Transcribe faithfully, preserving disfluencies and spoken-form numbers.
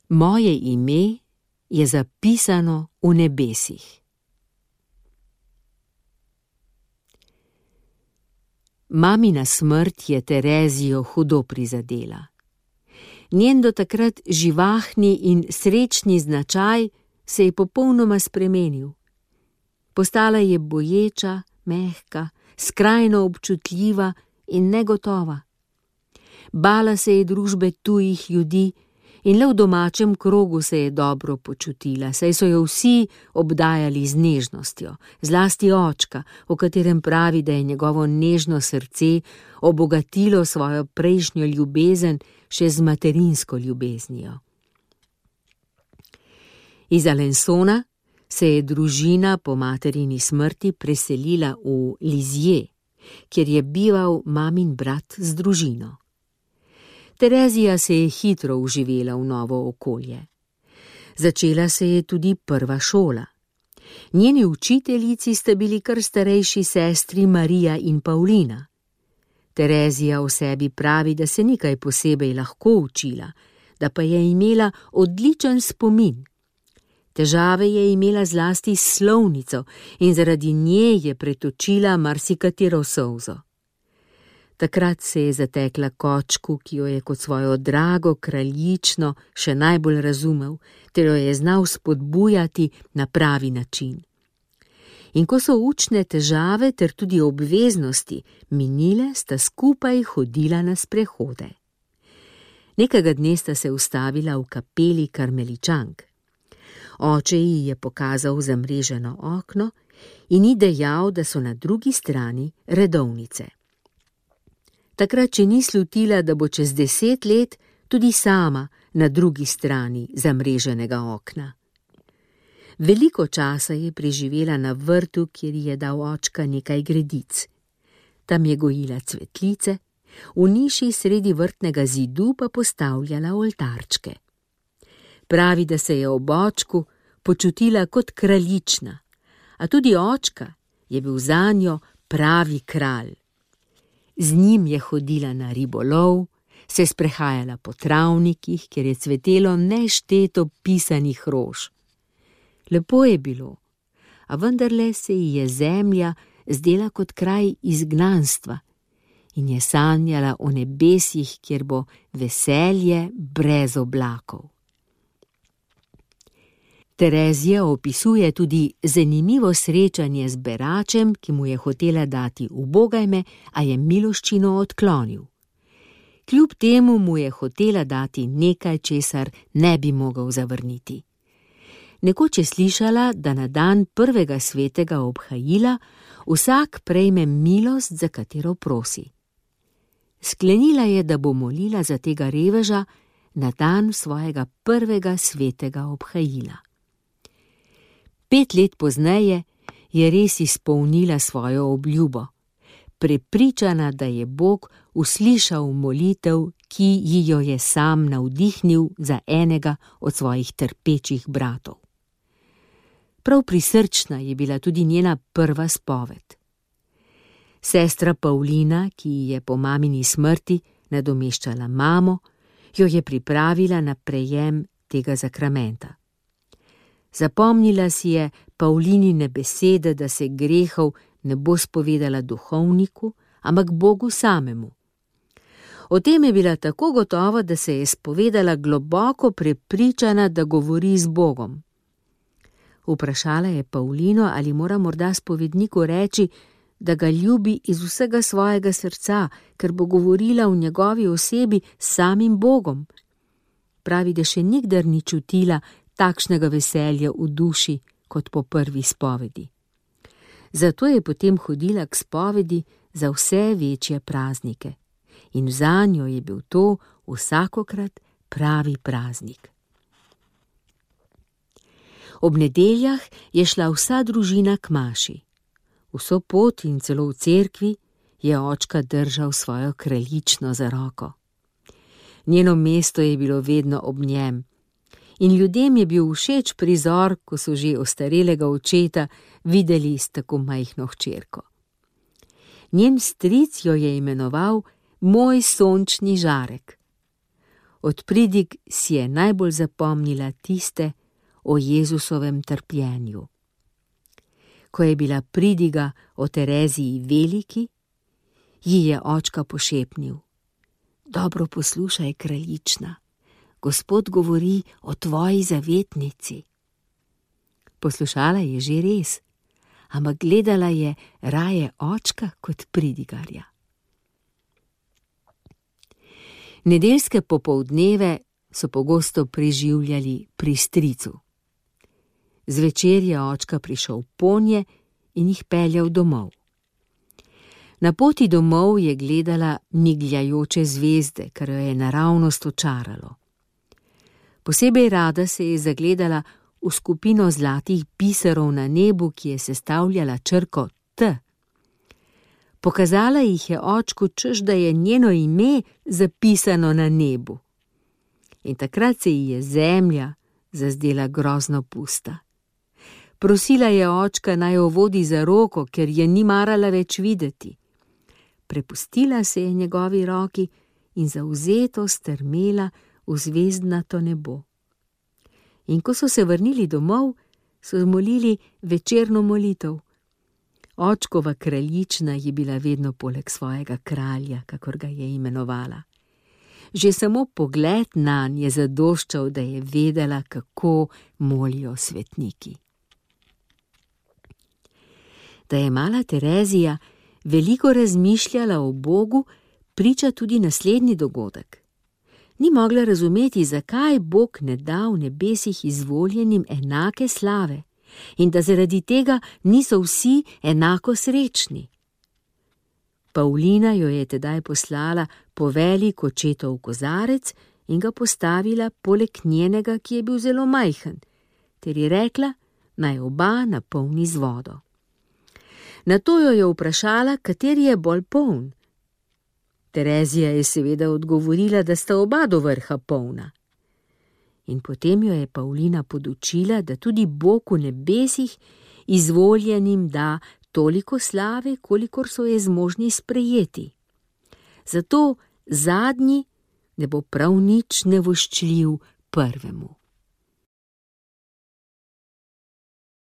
Moje ime je zapisano v nebesih. Mamina smrt je Terezijo hudo prizadela. Njen do takrat živahni in srečni značaj se je popolnoma spremenil. Postala je boječa, mehka, skrajno občutljiva in negotova. Bala se je družbe tujih ljudi in le v domačem krogu se je dobro počutila, saj so jo vsi obdajali z nežnostjo, zlasti očka, o katerem pravi, da je njegovo nežno srce obogatilo svojo prejšnjo ljubezen še z materinsko ljubeznijo. Iz Alençona se je družina po materini smrti preselila v Lisieux, kjer je bival mamin brat z družino. Terezija se je hitro vživela v novo okolje. Začela se je tudi prva šola. Njeni učiteljici sta bili kar starejši sestri Marija in Paulina. Terezija o sebi pravi, da se ni kaj posebej lahko učila, da pa je imela odličen spomin. Težave je imela zlasti s slovnico in zaradi nje je pretočila marsikatero solzo. Takrat se je zatekla kočku, ki jo je kot svojo drago kraljično še najbolj razumel, ter jo je znal spodbujati na pravi način. In ko so učne težave ter tudi obveznosti minile, sta skupaj hodila na sprehode. Nekega dne sta se ustavila v kapeli karmeličank. Oče ji je pokazal zamreženo okno in ji dejal, da so na drugi strani redovnice. Takrat, če ni slutila, da bo čez deset let tudi sama na drugi strani zamreženega okna. Veliko časa je preživela na vrtu, kjer je dal očka nekaj gredic. Tam je gojila cvetlice, v niši sredi vrtnega zidu pa postavljala oltarčke. Pravi, da se je ob očku počutila kot kraljična, a tudi očka je bil zanjo pravi kralj. Z njim je hodila na ribolov, se sprehajala po travnikih, kjer je cvetelo nešteto pisanih rož. Lepo je bilo, a vendarle se ji je zemlja zdela kot kraj izgnanstva in je sanjala o nebesih, kjer bo veselje brez oblakov. Terezija opisuje tudi zanimivo srečanje z beračem, ki mu je hotela dati ubogajme, a je miloščino odklonil. Kljub temu mu je hotela dati nekaj, česar ne bi mogel zavrniti. Nekoč je slišala, da na dan prvega svetega obhajila vsak prejme milost, za katero prosi. Sklenila je, da bo molila za tega reveža na dan svojega prvega svetega obhajila. Pet let pozneje je res izpolnila svojo obljubo, prepričana, da je Bog uslišal molitev, ki ji jo je sam navdihnil za enega od svojih trpečih bratov. Prav prisrčna je bila tudi njena prva spoved. Sestra Paulina, ki ji je po mamini smrti nadomeščala mamo, jo je pripravila na prejem tega zakramenta. Zapomnila si je Paulinine besede, da se grehov ne bo spovedala duhovniku, ampak Bogu samemu. O tem je bila tako gotova, da se je spovedala globoko prepričana, da govori z Bogom. Vprašala je Paulino, ali mora morda spovedniku reči, da ga ljubi iz vsega svojega srca, ker bo govorila v njegovi osebi s samim Bogom. Pravi, da še nikdar ni čutila takšnega veselja v duši kot po prvi spovedi. Zato je potem hodila k spovedi za vse večje praznike in zanjo je bil to vsakokrat pravi praznik. Ob nedeljah je šla vsa družina k maši. Vso pot in celo v cerkvi je očka držal svojo kraljično za roko. Njeno mesto je bilo vedno ob njem in ljudem je bil všeč prizor, ko so že ostarelega očeta videli s tako majhno hčerko. Njen stric jo je imenoval moj sončni žarek. Od pridig si je najbolj zapomnila tiste o Jezusovem trpljenju. Ko je bila pridiga o Tereziji veliki, ji je očka pošepnil: Dobro poslušaj, kraljična, Gospod govori o tvoji zavetnici. Poslušala je že res, ampak gledala je raje očka kot pridigarja. Nedeljske popoldneve so pogosto preživljali pri stricu. Zvečer je očka prišel ponje in jih peljal domov. Na poti domov je gledala migljajoče zvezde, kar jo je naravnost očaralo. Posebej rada se je zagledala v skupino zlatih biserov na nebu, ki je sestavljala črko T. Pokazala jih je očku, češ da je njeno ime zapisano na nebu. In takrat se ji je zemlja zazdela grozno pusta. Prosila je očka, naj jo vodi za roko, ker je ni marala več videti. Prepustila se je njegovi roki in zavzeto strmela v zvezdnato nebo. In ko so se vrnili domov, so molili večerno molitev. Očkova kraljična je bila vedno poleg svojega kralja, kakor ga je imenovala. Že samo pogled nanj je zadoščal, da je vedela, kako molijo svetniki. Da je mala Terezija veliko razmišljala o Bogu, priča tudi naslednji dogodek. Ni mogla razumeti, zakaj Bog ne da v nebesih izvoljenim enake slave in da zaradi tega niso vsi enako srečni. Pavlina jo je tedaj poslala po velik očetov kozarec in ga postavila poleg njenega, ki je bil zelo majhen, ter ji rekla, naj oba napolni z vodo. Nato jo je vprašala, kateri je bolj poln. Terezija je seveda odgovorila, da sta oba do vrha polna. In potem jo je Pavlina podučila, da tudi Bog v nebesih izvoljenim da toliko slave, kolikor so je zmožni sprejeti. Zato zadnji ne bo prav nič nevoščljiv prvemu.